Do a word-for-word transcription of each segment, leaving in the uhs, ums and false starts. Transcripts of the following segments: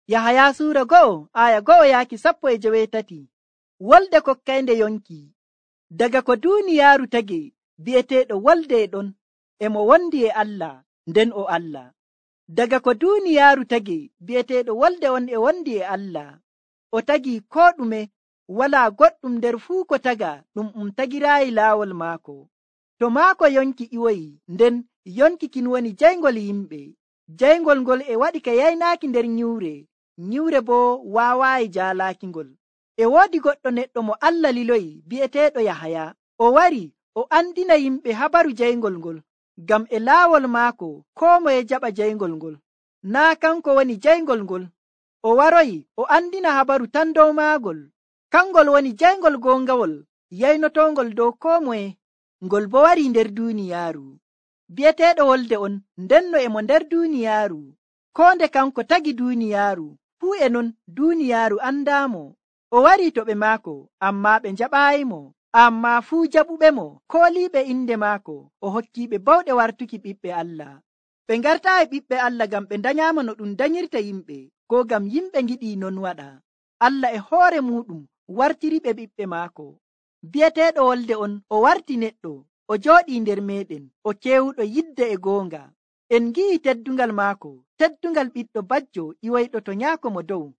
Yahaya suura go'o aya go'o yaaki sappo e joweetati. Wolde kokkaynde yonki. Daga ko duuniyaaru tagi bi'eteeɗo wolde e ɗon, e mo wondi e Allah, nden o Allah. Daga ko duuniyaaru tagi bi'eteeɗo wolde on e wondi e Allah. O tagi koo ɗume, walaa goɗɗum nder fuu ko taga ɗum um tagiraayi laawol maako. To maako yonki iwoyi, nden yonki kin woni jayngol yimɓe. Jayngol ngol e waɗi ka yaynaaki nder nyiwre, nyiwre boo waawaayi jaalaakingol. E woodi goɗɗo neɗɗo mo Allah liloyi bi'eteeɗo Yahaya. O wari o andina yimɓe habaru jayngol ngol, ngam e laawol maako koo moye jaɓa jayngol ngol. Naa kanko woni jayngol ngol. O waroyi o andina habaru tan dow maagol. Kangol woni jayngol goongawol yaynotoongol dow koo moye. Ngol bo warii nder duuniyaaru. Bi'eteeɗo wolde on, ndenno e mo nder duuniyaaru. Koo nde kanko tagi duuniyaaru, fuu e non duuniyaaru andaamo. O warii to ɓe maako, ammaa ɓe njaɓaayimo. Ammaa fuu jaɓuɓemo, kooliiɓe inde maako, o hokkiiɓe bawɗe wartuki ɓiɓɓe Allah. Ɓe ngartaayi ɓiɓɓe Allah ngam ɓe danyaama no ɗum danyirta yimɓe, koo ngam yimɓe ngiɗii non waɗa. Allah e hoore muuɗum wartiriɓe ɓiɓɓe maako. Bi'eteeɗo wolde on, o warti neɗɗo, o jooɗii nder meeɗen, o keewuɗo yidde e goonga. En ngi'i teddungal maako, teddungal ɓiɗɗo bajjo iwoyɗo to nyaako mo dow.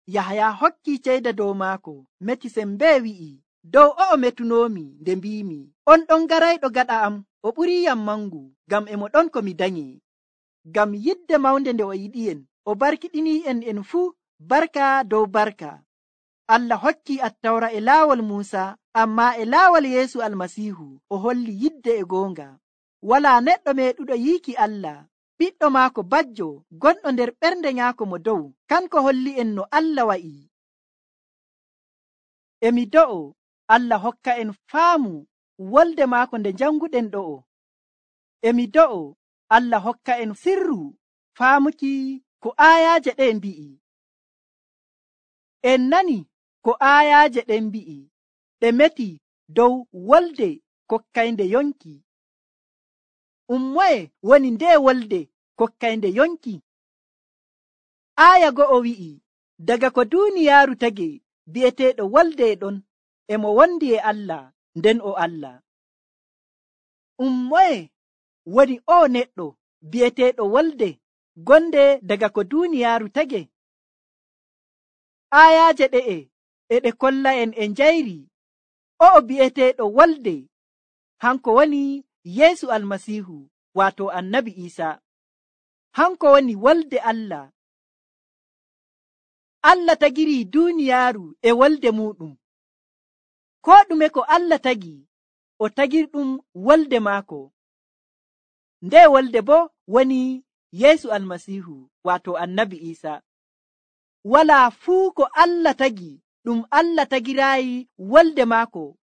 Yahaya hokkii ceyda dow maako, meti sembee wi'i, dow o'o metunoomi nde mbiimi, on ɗon garayɗo gaɗa am, o ɓuriiyam mangu, ngam e mo ɗon ko mi danyi. Ngam yidde mawnde nde o yiɗi'en, o barkiɗinii'en en fuu barka dow barka. Allah hokkii Attawra e laawol Muusa, ammaa e laawol Yeesu Almasiihu o holli yidde e goonga. Walaa neɗɗo meeɗuɗo yiiki Allah. Ɓiɗɗo maako bajjo gonɗo nder ɓernde nyaako mo dow, kanko holli'en no Allah wa'i. E mi do'o Allah hokka en faamu wolde maako nde janguɗen ɗo'o. E mi do'o Allah hokka en sirru faamuki ko aayaaje ɗe mbi'i. En nani ko aayaaje ɗen mbi'i, ɗe meti dow wolde kokkaynde yonki. Ummoye woni nde wolde kokkaynde yonki? Aaya go'o wi'i, daga ko duuniyaaru tagi bi'eteeɗo wolde e ɗon, e mo wondi e Allah, nden o Allah. Ummoye woni o neɗɗo bi'eteeɗo wolde gonde daga ko duuniyaaru tagi? Aayaaje ɗe'e e ɗe kolla en e njayri o'o bi'eteeɗo wolde, hanko woni Yeesu Almasiihu, waato Annabi Iisaa. Hanko woni wolde Allah. Allah tagirii duuniyaaru e wolde muuɗum. Koo ɗume ko Allah tagi, o tagirɗum wolde maako. Nde wolde boo woni Yeesu Almasiihu, waato Annabi Iisaa. Walaa fuu ko Allah tagi ɗum Allah tagiraayi wolde maako.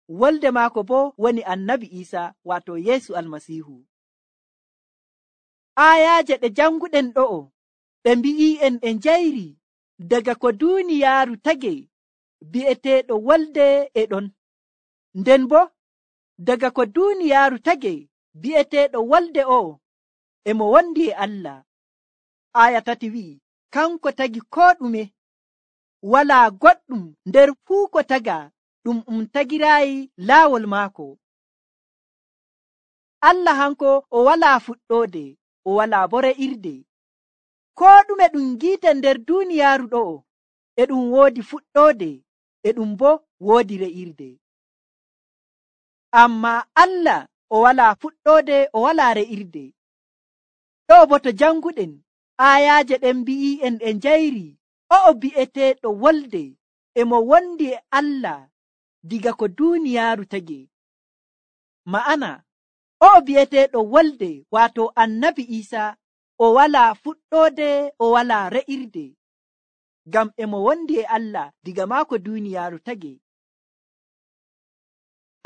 Wolde maako boo woni Annabi Iisaa, waato Yeesu Almasiihu. Aayaaje ɗe janguɗen ɗo'o ɗe mbi'i'en e njayri, daga ko duuniyaaru tagi bi'eteeɗo wolde e ɗon. Nden boo daga ko duuniyaaru tagi bi'eteeɗo wolde o'o e mo wondi e Allah. Aaya tati wi'i, kanko tagi koo ɗume, walaa goɗɗum nder fuu ko taga ɗum um tagiraayi laawol maako. Allah hanko o walaa fuɗɗoode, o walaa bo re'irde. Koo ɗume ɗum ngi'eten nder duuniyaaru ɗo'o e ɗum woodi fuɗɗoode, e ɗum bo woodi re'irde. Ammaa Allah o walaa fuɗɗoode, o walaa re'irde. Ɗo bo to janguɗen aayaaje ɗen mbi'i'en e njayri, o'o bi'eteeɗo wolde e mo wondi e Allah diga ko duuniyaaru tagi. Ma'ana o'o bi'eteeɗo wolde, waato Annabi Iisaa, o walaa fuɗɗoode, o walaa re'irde, ngam e mo wondi e Allah diga maako duuniyaaru tagi.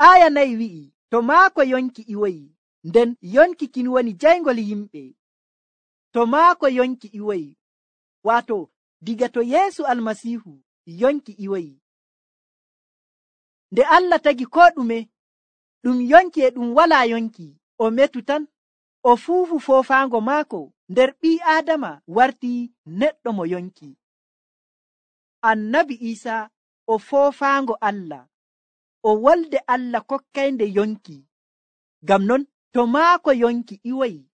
Aaya nayi wi'i, to maako yonki iwoyi, nden yonki kin woni jayngol yimɓe. To maako yonki iwoyi, waato diga to Yeesu Almasiihu yonki iwoyi. Nde Allah tagi koo ɗume, ɗum yonki e ɗum walaa yonki, o metu tan, o fuufu foofaango maako nder ɓii Aadama warti neɗɗo mo yonki. annabi Iisa o foofaango Allah, o wolde Allah kokkaynde yonki. Ngam non to maako yonki iwoyi,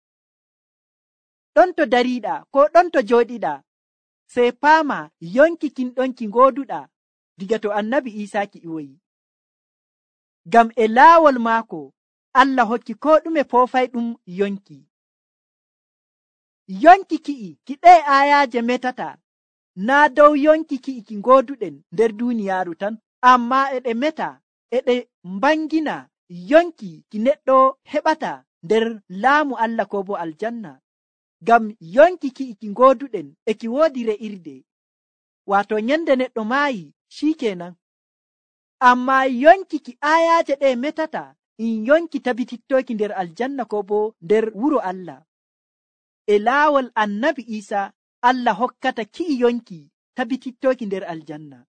ɗon to dariiɗaa ko ɗon to jooɗiɗaa, sey paama yonki kin ɗon ki ngooduɗaa diga to annabi Iisa ki iwoyi. Ngam e laawol maako Allah hokki ko ɗume foofay ɗum yonki. Yonki ki'i ki ɗee aayaaje metata naa dow yonki ki'i ki ngooduɗen nder duuniyaaru tan, ammaa e ɗe meta e ɗe mbangina yonki ki neɗɗo heɓata nder laamu Allah ko bo aljanna. Ngam yonki ki'i ki ngooduɗen e ki woodi re'irde, waato nyande neɗɗo maayi shikenan. Ammaa yonki ki aayaaje ɗe metata in yonki tabitittoki nder aljanna ko bo nder wuro Allah. E laawol annabi Iisa Allah hokkata ki'i yonki tabitittoki nder aljanna.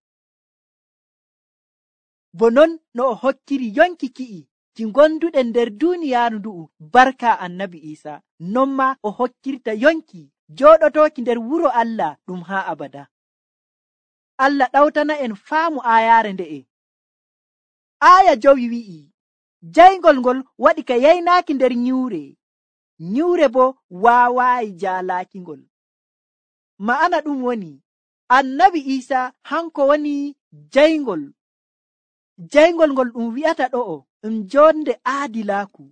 Bo non no o hokkiri yonki ki'i ki gonduɗen nder duuniyaaru ndu'u barka annabi Iisa, non ma o hokkirta yonki jooɗotoki nder wuro Allah ɗum haa abada. Allah ɗawtana en faamu aayaare nde'e. Aaya jowi wi'i, jayngol ngol waɗi ka yaynaaki nder nyuure, nyuure bo waawaayi jaalaaki ngol. Ma'ana ɗum woni annabi Iisa hanko woni jayngol. Jayngol ngol ɗum wi'ata ɗo'o ɗum jonde aadilaaku.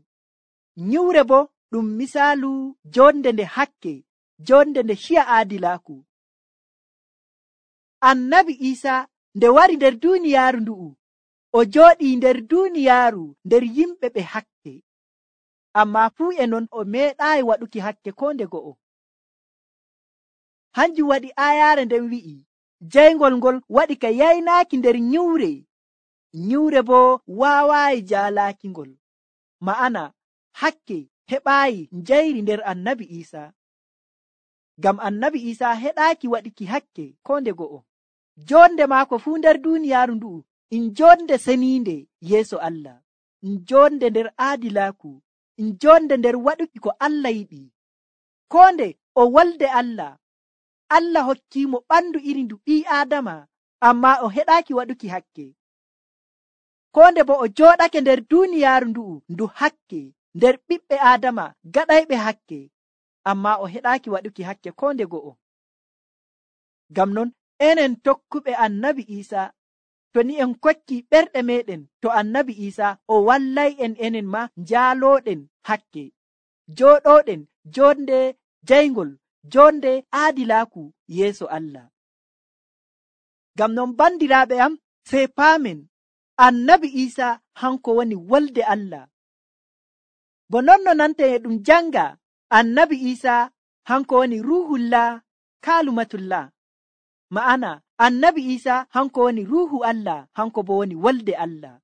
Nyuure bo ɗum misaalu jonde nde hakke, jonde nde shiya aadilaaku. Annabi Iisa nde wari nder duuniyaaru ndu'u, o jooɗii nder duuniyaaru nder yimɓe ɓe hakke, ammaa fuu e non o meeɗaayi waɗuki hakke ko nde go'o. Hanjum waɗi aayaare nden wi'i, jayngol ngol waɗi ka yaynaaki nder nyuure, nyuure bo waawaayi jaalaaki ngol. Ma'ana hakke heɓaayi njayri nder annabi Iisa. Ngam annabi Iisa heɗaaki waɗiki hakke ko nde go'o. Jonde maako fuu nder duuniyaaru ndu'u in jonde seniinde yeeso Allah, in jonde nder aadilaaku, in jonde nder waɗuki ko Allah yiɗi. Ko nde o wolde Allah, Allah hokkiimo ɓandu iri ndu ɓii Aadama, ammaa o heɗaaki waɗuki hakke. Ko nde bo o jooɗake nder duuniyaaru ndu'u ndu hakke, nder ɓiɓɓe Aadama gaɗayɓe hakke, ammaa o heɗaaki waɗuki hakke ko nde go'o. Ngam non enen tokkuɓe annabi Iisa, to ni en kokki ɓerɗe meɗen to annabi Iisa, o wallay en enen ma njaalooɗen hakke, jooɗooɗen jonde jayngol, jonde aadilaaku yeeso Allah. Ngam non bandiraaɓe am, sey paamen annabi Iisa hanko woni wolde Allah. Bo non no nanten e ɗum janga, annabi Iisa hanko woni ruhullah kaalumatullah. Ma'ana annabi Iisa hanko woni ruhu Allah, hanko bo woni wolde Allah.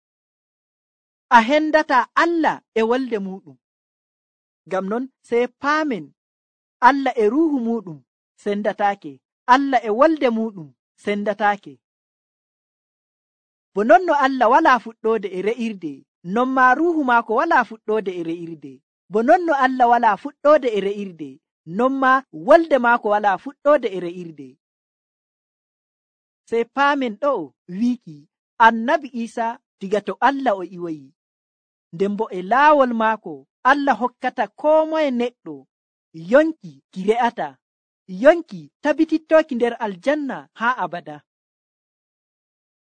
A hendata Allah e wolde muɗum. Ngam non sey paamen Allah e ruhu muɗum sendataake, Allah e wolde muɗum sendataake. Bo non no Allah walaa fuɗɗoode e re'irde, non ma ruhu maako walaa fuɗɗoode e re'irde. Bo non no Allah walaa fuɗɗoode e re'irde, non ma wolde maako walaa fuɗɗoode e re'irde. Sey paamen ɗo wiiki annabi Iisa diga to Allah o iwoyi, nden bo e laawol maako Allah hokkata koo moye neɗɗo yonki ki re'ata, yonki tabitittoki nder aljanna haa abada.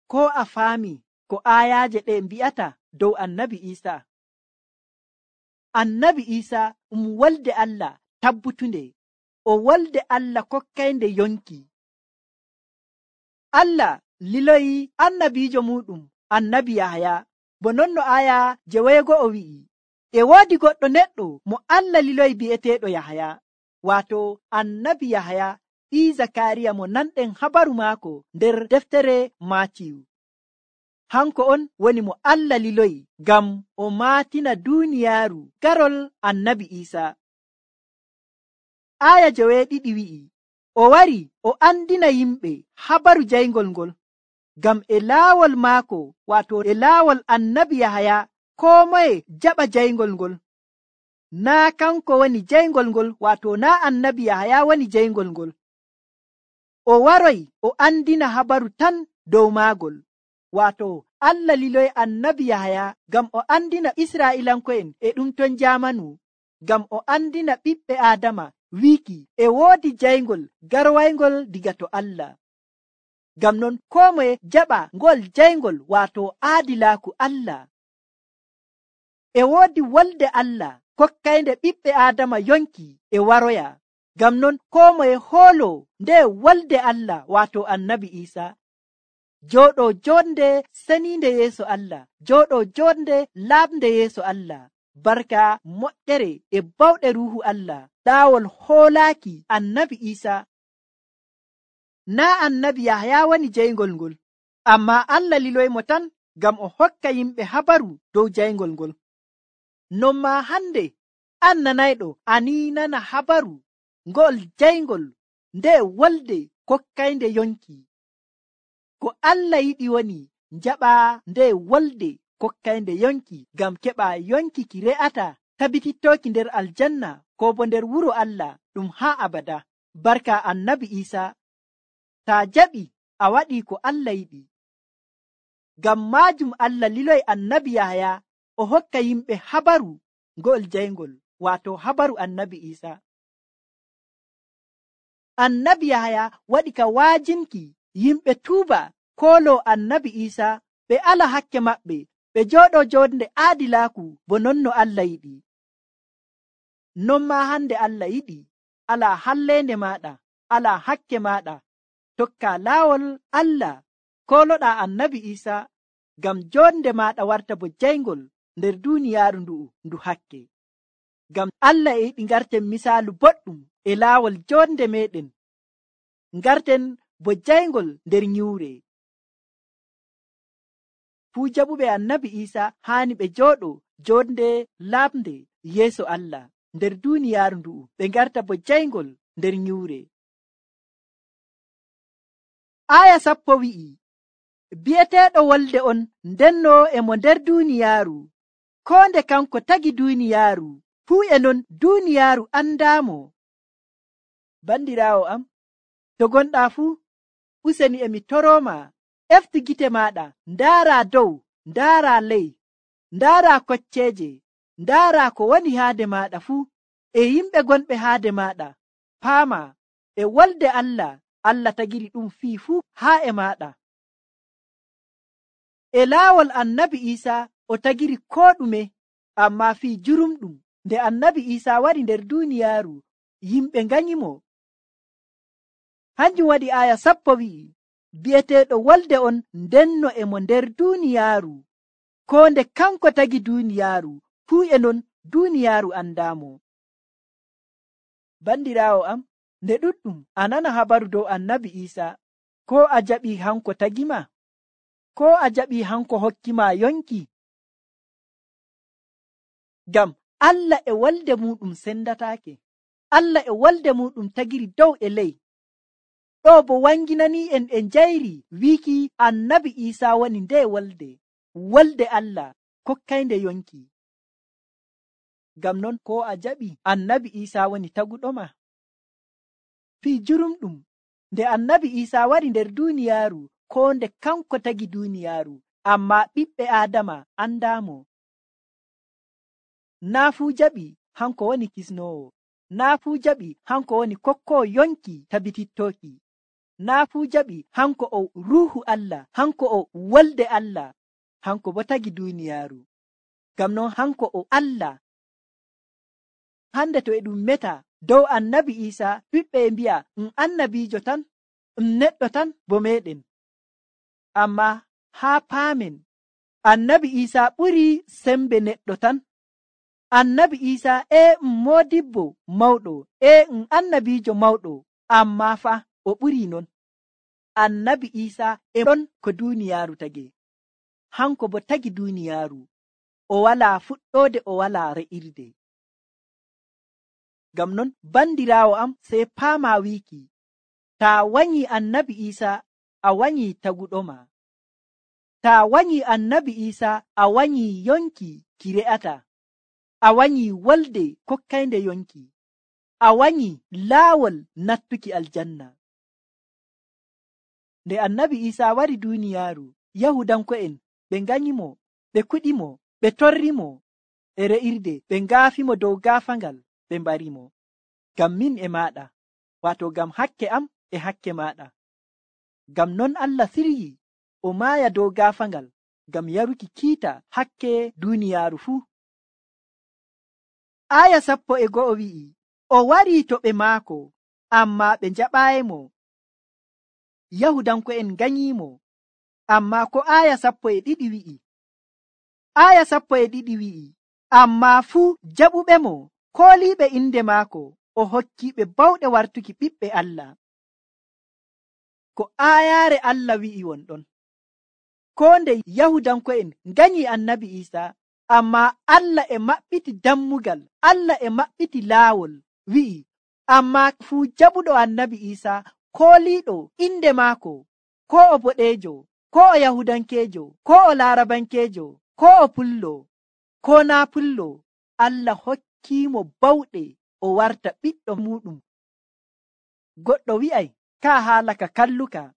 Ko a faami ko aayaaje ɗe mbi'ata dow annabi Iisa? Annabi Iisa um wolde Allah tabbutunde, o wolde Allah kokkaynde yonki. Allah liloyi annabiijo muɗum annabi Yahaya, bo non no aya jeweego wi'i, e woodi goɗɗo neɗɗo mo Allah liloyi bi'eteeɗo Yahaya, waato annabi Yahaya ɓii Zakariya mo nanɗen habaru maako nder deftere Maatiyu. Hanko on woni mo Allah liloyi ngam o maatina duuniyaaru garol annabi Iisa. Aya joweeɗiɗi wi'i, o wari o andina yimɓe habaru jayngol ngol, ngam e laawol maako, waato e laawol annabi Yahaya, koo moye jaɓa jayngol ngol. Naa kanko woni jayngol ngol, waato naa annabi Yahaya woni jayngol ngol. o waroy o andina habaru tan dow maagol. Waato Allah liloy annabi Yahaya ngam o andina Israa'iilanko'en e ɗum ton jamanu, ngam o andina ɓiɓɓe Aadama wiiki e woodi jayngol garwaygol diga to Allah. Ngam non koo moye jaɓa ngol jayngol, waato aadilaaku Allah. E woodi wolde Allah kokkaynde ɓiɓɓe Aadama yonki e waroya. Ngam non koo moye hoolo nde wolde Allah, waato annabi Iisa, jooɗo jonde seniinde yeeso Allah, jooɗo jonde laaɓnde yeeso Allah, barka moƴƴere e bawɗe ruuhu Allah, ɗaawol hoolaaki annabi Iisa. Naa annabi Yahaya woni jayngol ngol, ammaa Allah liloymo tan ngam o hokka yimɓe habaru dow jayngol ngol. Non maa hande an nanayɗo a ni nana habaru ngol jayngol nde wolde kokkaynde yonki. Ko Allah yiɗi woni njaɓa nde wolde kokkaynde yonki ngam keɓa yonki ki re'ata tabitittooki nder aljanna ko bo nder wuro Allah ɗum haa abada, barka annabi Iisa. Ta jaɓi a waɗi ko Allah yiɗi. Ngam maajum Allah liloy annabi Yahaya o hokka yimɓe habaru ngol jayngol, waato habaru annabi Iisa. Annabi Yahaya waɗi ka waajinki yimɓe tuuba koolo annabi Iisa, ɓe ala hakke maɓɓe, ɓe jooɗo jonde aadilaaku bo non no Allah yiɗi. Non maa hande Allah yiɗi ala halleende maaɗa, ala hakke maaɗa, tokka laawol Allah, kooloɗaa annabi Iisa, ngam jonde maaɗa warta bo jayngol nder duuniyaaru ndu'u ndu hakke. Ngam Allah e yiɗi ngarten misaalu boɗɗum e laawol jonde meɗen, ngarten bo jayngol nder nyiwre. Fuu jaɓuɓe annabi Iisa haani ɓe jooɗo jonde laaɓnde yeeso Allah nder duuniyaaru ndu'u, ɓe ngarta bo jayngol nder nyiwre. Aya sappo wi'i, bi'eteeɗo wolde on ndenno e mo nder duuniyaaru, koo nde kanko tagi duuniyaaru, fuu e non duuniyaaru andaamo. Bandiraawo am, to gonɗaa fuu, useni emi torooma, eftu gite maaɗa, ndaara dow, ndaara ley, ndaara kocceeje, ndaara ko woni haade maaɗa fuu, e yimɓe gonɓe haade maaɗa, paama e wolde Allah, Allah tagiri ɗum fii fuu haa e maaɗa. E laawol annabi Iisa o tagiri koo ɗume, ammaa fii jurumɗum nde annabi Iisa wari nder duuniyaaru, yimɓe nganyimo. Hanjum waɗi aya sappo wi'i, bi'eteeɗo wolde on ndenno e mo nder duuniyaaru, koo nde kanko tagi duuniyaaru, fuu e non duuniyaaru andaamo. Bandiraawo am, nde ɗuɗɗum a nana habaru dow annabi Iisa, ko a jaɓi hanko tagima, ko a jaɓi hanko hokkima yonki? Ngam Allah e wolde muɗum sendataake, Allah e wolde muɗum tagiri dow e ley. Ɗo bo wanginani en e njayri wiiki annabi Iisa woni nde wolde, wolde Allah kokkaynde yonki. Ngam non ko a jaɓi annabi Iisa woni taguɗoma? Fii jurumɗum nde annabi Iisa wari nder duuniyaaru, ko nde kanko tagi duuniyaaru, amma ɓiɓɓe Aadama andaamo. Naa fuu jaɓi hanko woni kisnoowo, naa fuu jaɓi hanko woni kokkoo yonki tabitittooki, naa fuu jaɓi hanko o ruuhu Allah, hanko o wolde Allah, hanko bo tagi duuniyaaru. Ngam non hanko o Allah. Hande to e ɗum meta dow annabi Iisa, ɓiɓɓe e mbi'a um annabiijo tan, um neɗɗo tan bo meɗen. Amma haa paamen, annabi Iisa ɓuri sembe neɗɗo tan. Annabi Iisa e um moodibbo mawɗo, e um annabiijo mawɗo, amma fa o ɓuri non. Annabi Iisa e ɗon ko duuniyaaru tagi, hanko bo tagi duuniyaaru, o walaa fuɗɗoode, o walaa re'irde. Ngam non bandiraawo am, sey paama wiiki, taa wanyi annabi Iisa a wanyi taguɗoma, taa wanyi annabi Iisa a wanyi yonki ki re'ata, a wanyi wolde kokkaynde yonki, a wanyi laawol nattuki aljanna. nde annabi Iisaa wari duuniyaaru, Yahudanko'en ɓe nganyimo, ɓe kuɗimo, ɓe torrimo e re'irde, ɓe ngaafimo dow gaafangal, ɓe mbarimo. Ngam min e maaɗa, waato ngam hakke am e hakke maaɗa. Ngam non Allah siryi o maaya dow gaafangal ngam yaruki kiita hakke duuniyaaru fuu. Aya sappo e go'o wi'i, o warii to ɓe maako, ammaa ɓe njaɓaayimo. Yahudanko'en nganyiimo, ammaa ko aya sappo e ɗiɗi wi'i. Aya sappo e ɗiɗi wi'i, ammaa fuu jaɓuɓemo, kooliiɓe inde maako, o hokkiiɓe bawɗe wartuki ɓiɓɓe Allah. Ko aayaare Allah wi'i wonɗon. Koo nde Yahudanko'en nganyi annabi Iisaa, ammaa Allah e maɓɓiti dammugal, Allah e maɓɓiti laawol, wi'i, ammaa fuu jaɓuɗo annabi Iisaa, kooliiɗo inde maako, koo o boɗeejo, koo o Yahudankeejo, koo o Laarabankeejo, koo o pullo, koo naa pullo, Allah hokkiimo bawɗe o warta ɓiɗɗo muuɗum. Goɗɗo wi'ay, kaa haala ka kalluka,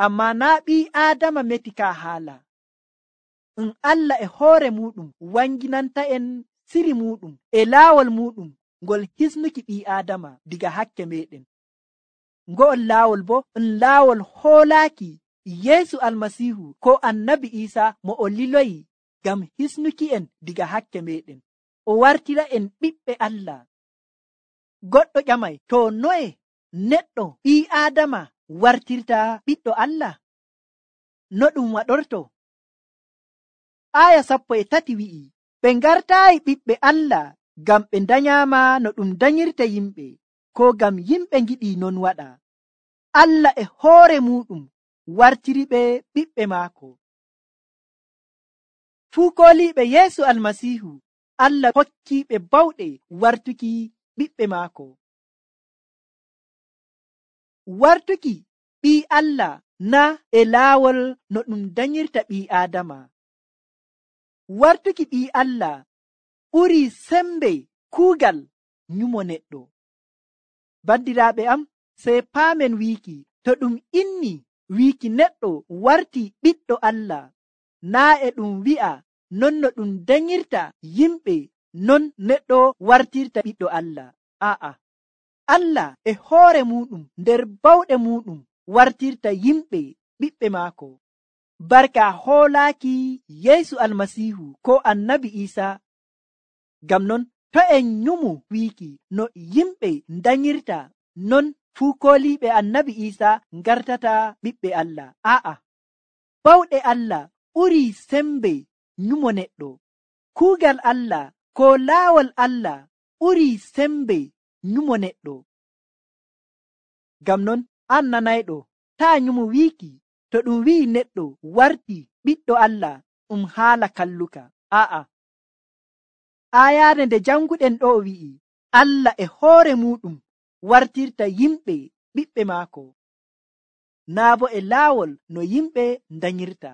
ammaa naa ɓii Aadama meti kaa haala. Um Allah e hoore muuɗum wanginanta'en siri muuɗum e laawol muuɗum ngol hisnuki ɓii Aadama diga hakke meeɗen. Ngo'ol laawol bo um laawol hoolaaki Yeesu Almasiihu ko annabi Iisaa mo o liloyi ngam hisnuki en diga hakke meeɗen, o wartira en ɓiɓɓe Allah. Goɗɗo ƴamay, to noye neɗɗo ɓii Aadama wartirta ɓiɗɗo Allah? No ɗum waɗorto? Aya sappo e tati wi'i, ɓe ngartaayi ɓiɓɓe Allah ngam ɓe ndanyaama no ɗum danyirta yimɓe, ko ngam yimɓe ngiɗi non waɗa. Allah e hoore muɗum wartiri ɓe ɓiɓɓe maako. Fuu kooliiɓe Yeesu Almasiihu, Allah hokkiiɓe bawɗe wartuki ɓiɓɓe maako. Wartuki ɓii Allah na e laawol no ɗum danyirta ɓii Aadama. Wartuki ɓii Allah ɓurii sembe kuugal nyumo neɗɗo. Bandiraaɓe am, sey paamen wiiki, to ɗum inni wiiki neɗɗo warti ɓiɗɗo Allah, naa e ɗum wi'a non no ɗum danyirta yimɓe, non neɗɗo wartirta ɓiɗɗo Allah. Aa'a, Allah e hoore muɗum nder bawɗe muɗum wartirta yimɓe ɓiɓɓe maako. Barka hoolaaki Yeesu Almasiihu ko annabi Iisaa. Ngam non to en nyumu wiiki no yimɓe danyirta, non fuu kooliiɓe annabi Iisaa ngartata ɓiɓɓe Allah. Aa'a, bawɗe Allah ɓurii sembe nyumo neɗɗo. Kuugal Allah ko laawol Allah ɓurii sembe nyumo neɗɗo. Ngam non an nanayɗo, taa nyumu wiiki to ɗum wi'i neɗɗo warti ɓiɗɗo Allah um haala kalluka. Aa'a, aayaare nde janguɗen ɗo wi'i, Allah e hoore muɗum wartirta yimɓe ɓiɓɓe maako, naa bo e laawol no yimɓe danyirta.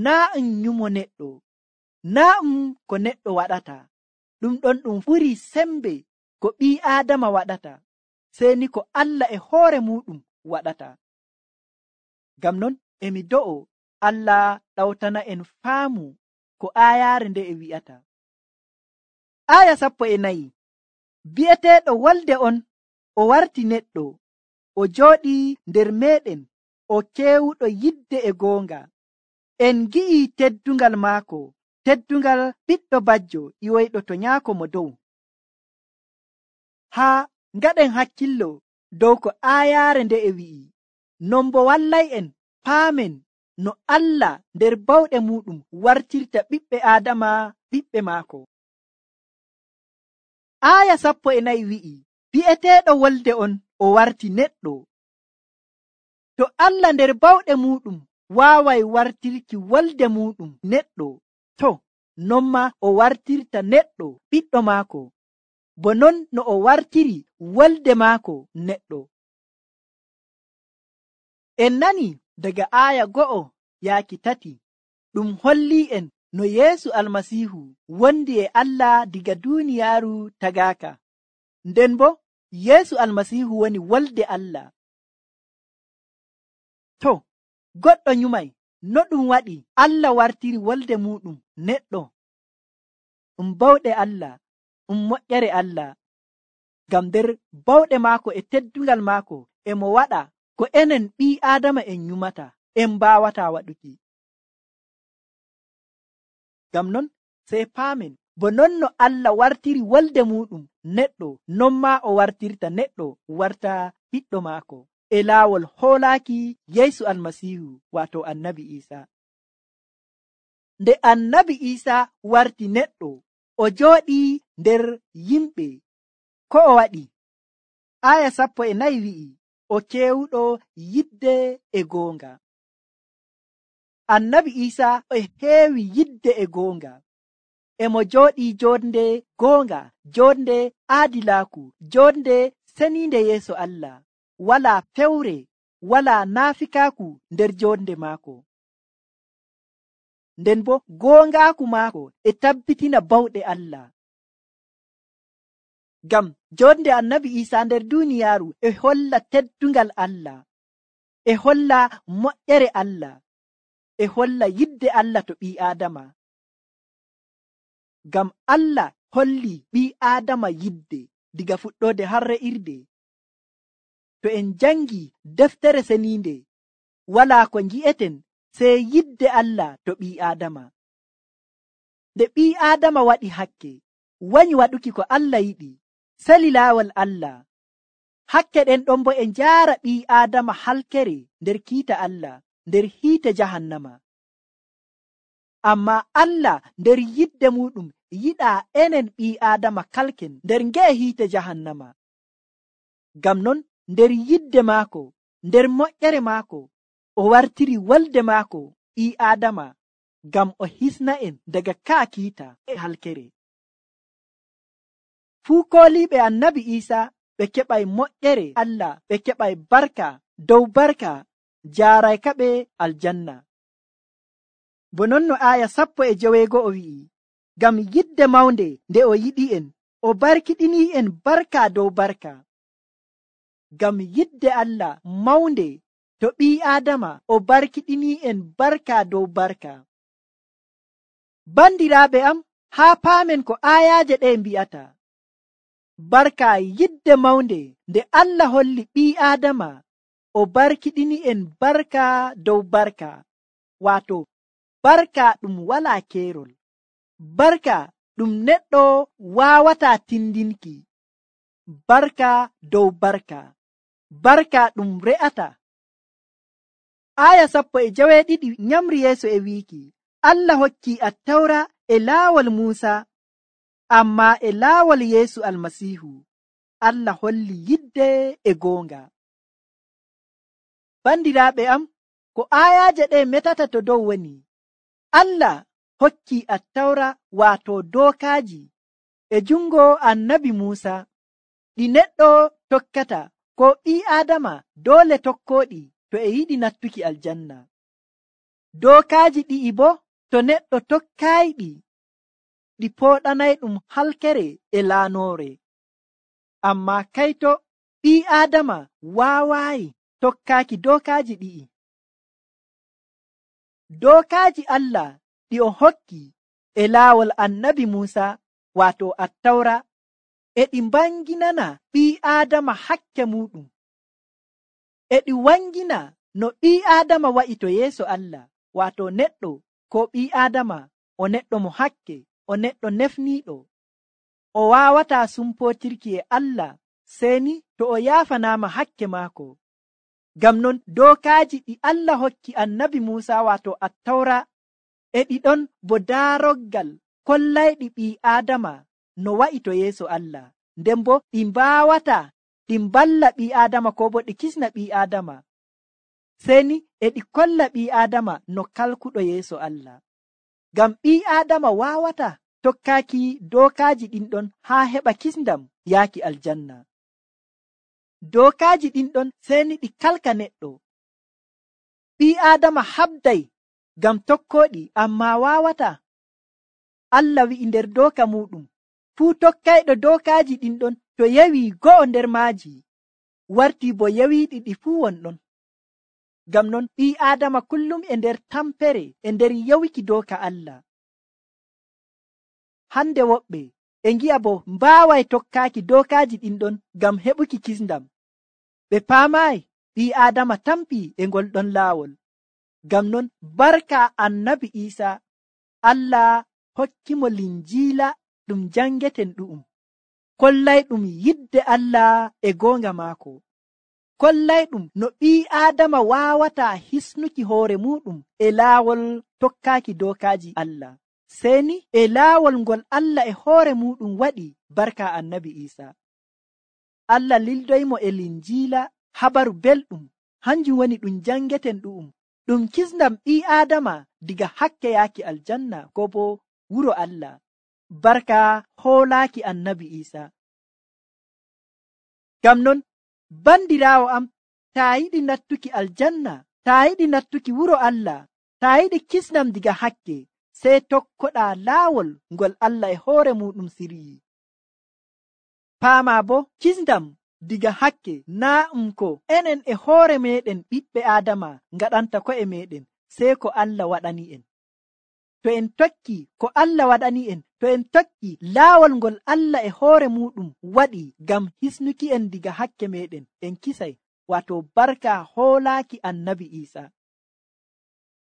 Naa um nyumo neɗɗo, naa um ko neɗɗo waɗata, ɗum ɗon ɗum ɓurii sembe ko ɓii Aadama waɗata, sey ni ko Allah e hoore muɗum waɗata. Ngam non emi do'o Allah ɗawtana en faamu ko aayaare nde e wi'ata. Aya sappo e nayi, bi'eteeɗo wolde on o warti neɗɗo, o jooɗii nder meeɗen, o keewuɗo yidde e goonga. En gi'i teddungal maako, teddungal ɓiɗɗo bajjo iwoyɗo to nyaako mo dow. Haa ngaɗen hakkillo dow ko aayaare nde e wi'i, non bo wallay'en paamen no Allah nder bawɗe muɗum wartirta ɓiɓɓe Aadama ɓiɓɓe maako. Aya sappo e nayi wi'i, bi'eteeɗo wolde on o warti neɗɗo. To Allah nder bawɗe muɗum waaway wartirki wolde muɗum neɗɗo, to non ma o wartirta neɗɗo ɓiɗɗo maako, bo non no o wartiri wolde maako neɗɗo. En nani daga aya go'o yaaki tati, ɗum holli en no Yeesu Almasiihu wondi e Allah diga duuniyaaru tagaaka, nden bo Yeesu Almasiihu woni wolde Allah. To, goɗɗo nyumay, no ɗum waɗi Allah wartiri wolde muɗum neɗɗo? ɗum bawɗe Allah, ɗum moƴƴere Allah, ngam nder bawɗe maako e teddungal maako e mo waɗa ko enen ɓii Aadama en nyumata en mbaawata waɗuki. Ngam non sey paamen bo non no Allah wartiri wolde muɗum neɗɗo, non maa o wartirta neɗɗo warta ɓiɗɗo maako e laawol hoolaaki Yeesu Almasiihu waato Annabi Iisaa. Nde Annabi Iisaa warti neɗɗo, o jooɗii nder yimɓe. Ko o waɗi? Aya sappo e nayi wi'i, o keewuɗo yidde e goonga. Annabi Iisaa e heewi yidde e goonga. E mo jooɗii joonde goonga, joonde aadilaaku, joonde seniinde yeeso Allah. Walaa fewre, walaa naafikaaku nder joonde maako. Nden bo goongaaku maako e tabbitina bawɗe Allah. Ngam joonde Annabi Iisaa nder duuniyaaru e holla teddungal Allah, e holla moƴƴere Allah, e holla yidde Allah to ɓii Aadama. Ngam Allah holli ɓii Aadama yidde diga fuɗɗoode har re'irde. To en jangi deftere seniinde, walaa ko ngi'eten sey yidde Allah to ɓii Aadama. Nde ɓii Aadama waɗi hakke, wanyi waɗuki ko Allah yiɗi, sali laawol Allah. Hakke ɗen ɗon bo e njaara ɓii Aadama halkere nder kiita Allah, nder hiite jahannama. Amma Allah nder yidde muɗum yiɗaa enen ɓii Aadama kalken nder nge'e hiite jahannama. Ngam non nder yidde maako, nder moƴƴere maako, o wartiri wolde maako ɓii Aadama ngam o hisna en daga kaa kiita e halkere. Fuu kooliiɓe Annabi Iisaa ɓe keɓay moƴƴere Allah, ɓe keɓay barka dow barka, jaaraykaɓe aljanna. Bo non no aaya sappo e joweego'o wi'i, ngam yidde mawnde nde o yiɗi'en, o barkiɗini'en barka dow barka. Ngam yidde Allah mawnde to ɓii Aadama, o barkiɗini'en barka dow barka. Bandiraaɓe am, haa paamen ko aayaaje ɗe mbi'ata. Barka yidde mawnde nde Allah holli ɓii Aadama, o barkiɗini'en barka dow barka, waato barka ɗum walaa keerol, barka ɗum neɗɗo waawataa tindinki, barka dow barka, barka ɗum re'ata. Aya sappo e joweeɗiɗi nyamri yeeso e wiiki, Allah hokki attawra e laawol Muusa, amma e laawol Yeesu Almasiihu Allah holli yidde e goonga. Bandiraaɓe am, ko ayaaje ɗe metata to dow woni, Allah hokki attawra waato dookaaji e jungo Annabi Muusa, ɗi neɗɗo tokkata, ko ɓii Aadama doole tokkooɗi to e yiɗi nattuki aljanna. Dookaaji ɗi'i bo to neɗɗo tokkaayiɗi, ɗi pooɗanay ɗum halkere e laanoore. Amma kayto ɓii Aadama waawaayi tokkaaki dookaaji ɗi'i. Dookaaji Allah ɗi o hokki e laawol Annabi Muusa, waato attawra, e ɗi mbanginana ɓii Aadama hakke muɗum, e ɗi wangina no ɓii Aadama wa'i to yeeso Allah, waato neɗɗo ko ɓii Aadama o neɗɗo mo hakke, o neɗɗo nefniiɗo, o waawataa sumpootirki e Allah seeni to o yaafanaama hakke maako. Ngam non dookaaji ɗi Allah hokki Annabi Muusa, waato attawra, e ɗi ɗon bo daaroggal kollayɗi ɓii Aadama no wa'i to yeeso Allah, nden bo ɗi mbaawata ɗi mballa ɓii Aadama ko bo ɗi kisna ɓii Aadama, seeni e ɗi kolla ɓii Aadama no kalkuɗo yeeso Allah. Ngam ɓii Aadama waawata tokkaaki dookaaji ɗin ɗon haa heɓa kisndam yaaki aljanna. Dookaaji ɗin ɗon seeni ɗi kalka neɗɗo. Ɓii Aadama habday ngam tokkooɗi, amma waawata. Allah wi'i nder dooka muɗum, fuu tokkayɗo dookaaji ɗin ɗon to yewi go'o nder maaji, warti bo yewiiɗi ɗi fuu wonɗon. Ngam non ɓii Aadama kullum e nder tampere e nder yawiki dooka Allah. Hande woɓɓe e ngi'a bo mbaaway tokkaaki dookaaji ɗin ɗon ngam heɓuki kisndam. Ɓe paamaayi ɓii Aadama tampii e ngol ɗon laawol. Ngam non barka annabi Iisa, Allah hokkimo linjiila ɗum jangeten ɗu'um, kollayɗum yidde Allah e goonga maako, kollayɗum no ɓii Aadama waawataa hisnuki hoore muɗum e laawol tokkaaki dookaaji Allah, seni e laawol ngol Allah e hoore muɗum waɗi barka annabi Iisa. Allah lildoymo e linjiila habaru belɗum, hanjum woni ɗum jangeten ɗu'um, ɗum kisndam ɓii Aadama diga hakke yaaki aljanna ko bo wuro Allah, barka hoolaaki annabi Iisa. Ngam non bandiraawo am, taa yiɗi nattuki aljanna, taa yiɗi nattuki wuro Allah, taa yiɗi kisndam diga hakke, sey tokkoɗaa laawol ngol Allah e hoore muɗum siryi. Paamaa bo kisndam diga hakke naa ɗum ko enen e hoore meɗen ɓiɓɓe Aadama ngaɗanta ko'e meɗen, sey ko Allah waɗani en. To en tokki ko Allah waɗani en, to en tokki laawol ngol Allah e hoore muɗum waɗi ngam hisnuki en diga hakke meɗen, en kisay, wato barka hoolaaki annabi Iisa.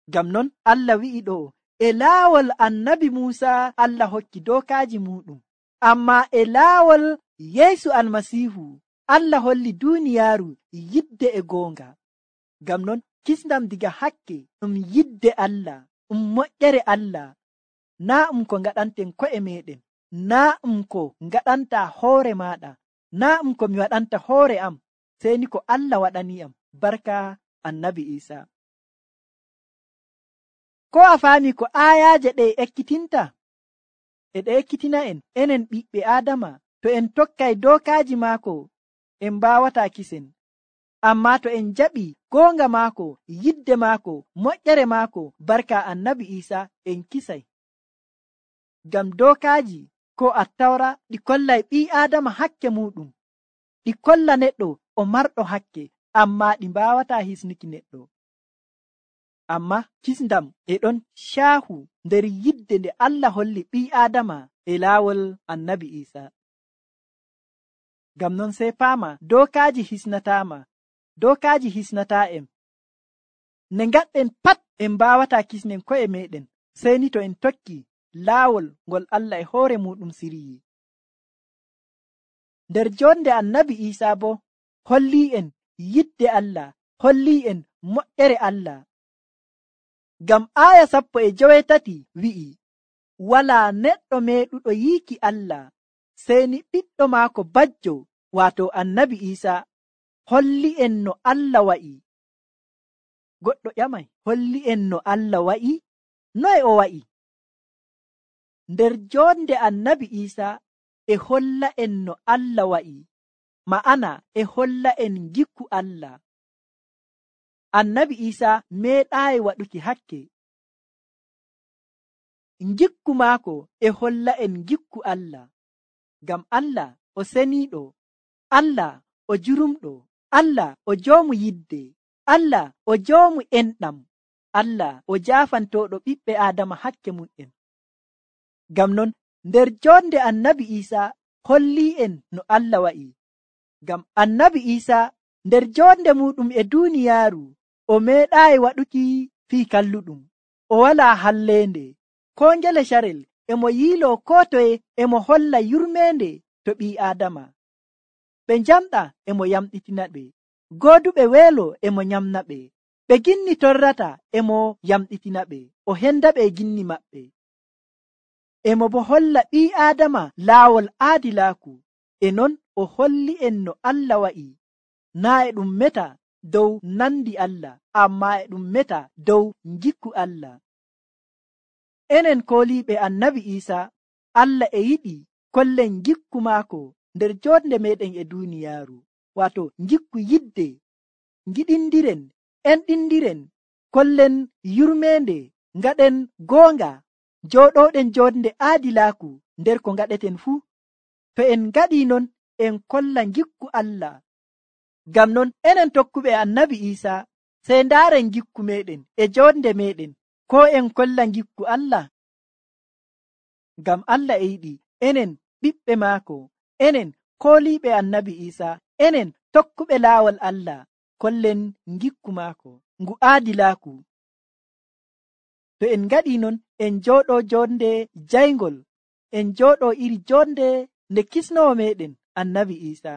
Ngam non Allah wi'i ɗo, e laawol annabi Muusa Allah hokki dookaaji muɗum, amma e laawol Yeesu Almasiihu Allah holli duuniyaaru yidde e goonga. Ngam non kisndam diga hakke ɗum yidde Allah, ɗum moƴƴere Allah, naa ɗum ko ngaɗanten ko'e meɗen, naa ɗum ko ngaɗanta hoore maɗa, naa ɗum ko mi waɗanta hoore am, sey ni ko Allah waɗani am barka annabi Iisa. Ko a faami ko aayaaje ɗe ekkitinta? E ɗe ekkitina en enen ɓiɓɓe Aadama, to en tokkay dookaaji maako en mbaawataa kisen, amma to en jaɓi goonga maako, yidde maako, moƴƴere maako, barka annabi Iisa, en kisay. Ngam dookaaji ko Attawra ɗi kollay ɓii Aadama hakke muɗum, ɗi kolla neɗɗo o marɗo hakke, amma ɗi mbaawataa hisnuki neɗɗo. Amma kisndam e ɗon caahu nder yidde nde Allah holli ɓii Aadama e laawol annabi Iisa. Ngam non sey paama dookaaji hisnataama, dookaaji hisnataa en. Ne ngaɗɗen pat en mbaawataa kisnen ko'e meɗen, sey ni to en tokki laawol ngol Allah e hoore muɗum siryi. Nder jonde annabi Iisa bo hollii en yidde Allah, hollii en moƴƴere Allah. Ngam aaya sappo e jowetati wi'i, walaa neɗɗo meeɗuɗo yiiki Allah, sey ni ɓiɗɗo maako bajjo, waato annabi Iisa, holli en no Allah wa'i. Goɗɗo ƴamay, holli en no Allah wa'i? Noye o wa'i? Nder jonde annabi Iisa e holla en no Allah wa'i, ma'ana e holla en gikku Allah. Annabi Iisa meeɗaayi waɗuki hakke. Gikku maako e holla en gikku Allah, ngam Allah o seniiɗo, Allah o jurumɗo, Allah o joomu yidde, Allah o joomu enɗam, Allah o jaafantooɗo ɓiɓɓe Aadama hakke mum'en. Ngam non nder jonde annabi Iisa hollii en no Allah wa'i, ngam annabi Iisa nder jonde muɗum e duuniyaaru o meeɗaayi waɗuki fii kalluɗum, o walaa halleende, ko ngele carel emo yiiloo koo toye emo holla yurmeende to ɓii Aadama. Ɓe njamɗa emo yamɗitina ɓe, gooduɓe weelo emo nyamna ɓe, ɓe ginni torrata emo yamɗitina ɓe, o henda ɓe ginni maɓɓe. Emo bo holla ɓii Aadama laawol aadilaaku, e non o holli en no Allah wa'i, naa e ɗum meta dow nandi Allah, amma e ɗum meta dow ngikku Allah. Enen kooliiɓe annabi Iisa, Allah e yiɗi kollen ngikku maako nder jonde meɗen e duuniyaaru, waato ngikku yidde, ngiɗindiren, enɗindiren, kollen yurmeende, ngaɗen goonga, jooɗoɗen jonde aadilaaku nder ko ngaɗeten fuu. To en ngaɗii non en kolla ngikku Allah. Ngam non enen tokkuɓe annabi Iisa, sey ndaaren gikku meɗen e jonde meɗen, ko en kolla gikku Allah. Ngam Allah e yiɗi enen ɓiɓɓe maako, enen kooliiɓe annabi Iisa, enen tokkuɓe laawol Allah, kollen gikku maako ngu aadilaaku. To en ngaɗii non, en njooɗoo jonde jayngol, en njooɗoo iri jonde nde kisnowo meɗen annabi Iisa.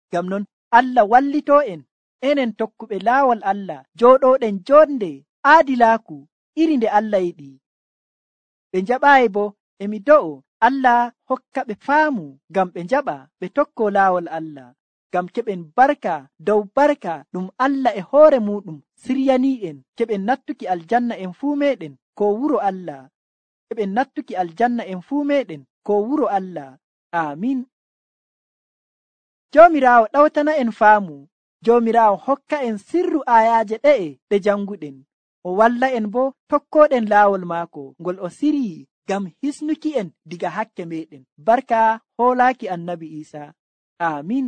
Ngam non Allah wallitoo en, enen tokkuɓe laawol Allah, jooɗooɗen jonde aadilaaku iri nde Allah yiɗi. Ɓe njaɓaayi bo, e mi do'o Allah hokka ɓe faamu ngam ɓe njaɓa ɓe tokkoo laawol Allah, ngam keɓen barka dow barka ɗum Allah e hoore muɗum siryanii'en, keɓen nattuki aljanna en fuu meɗen ko wuro Allah, keɓen nattuki aljanna en fuu meɗen ko wuro Allah. Aamin. Joomiraawo ɗawtana en faamu, Joomiraawo hokka en sirru aayaaje ɗe'e ɗe janguɗen, o walla en bo tokkooɗen laawol maako ngol o siryi ngam hisnuki en diga hakke meɗen, barka hoolaaki annabi Iisa. Aamin.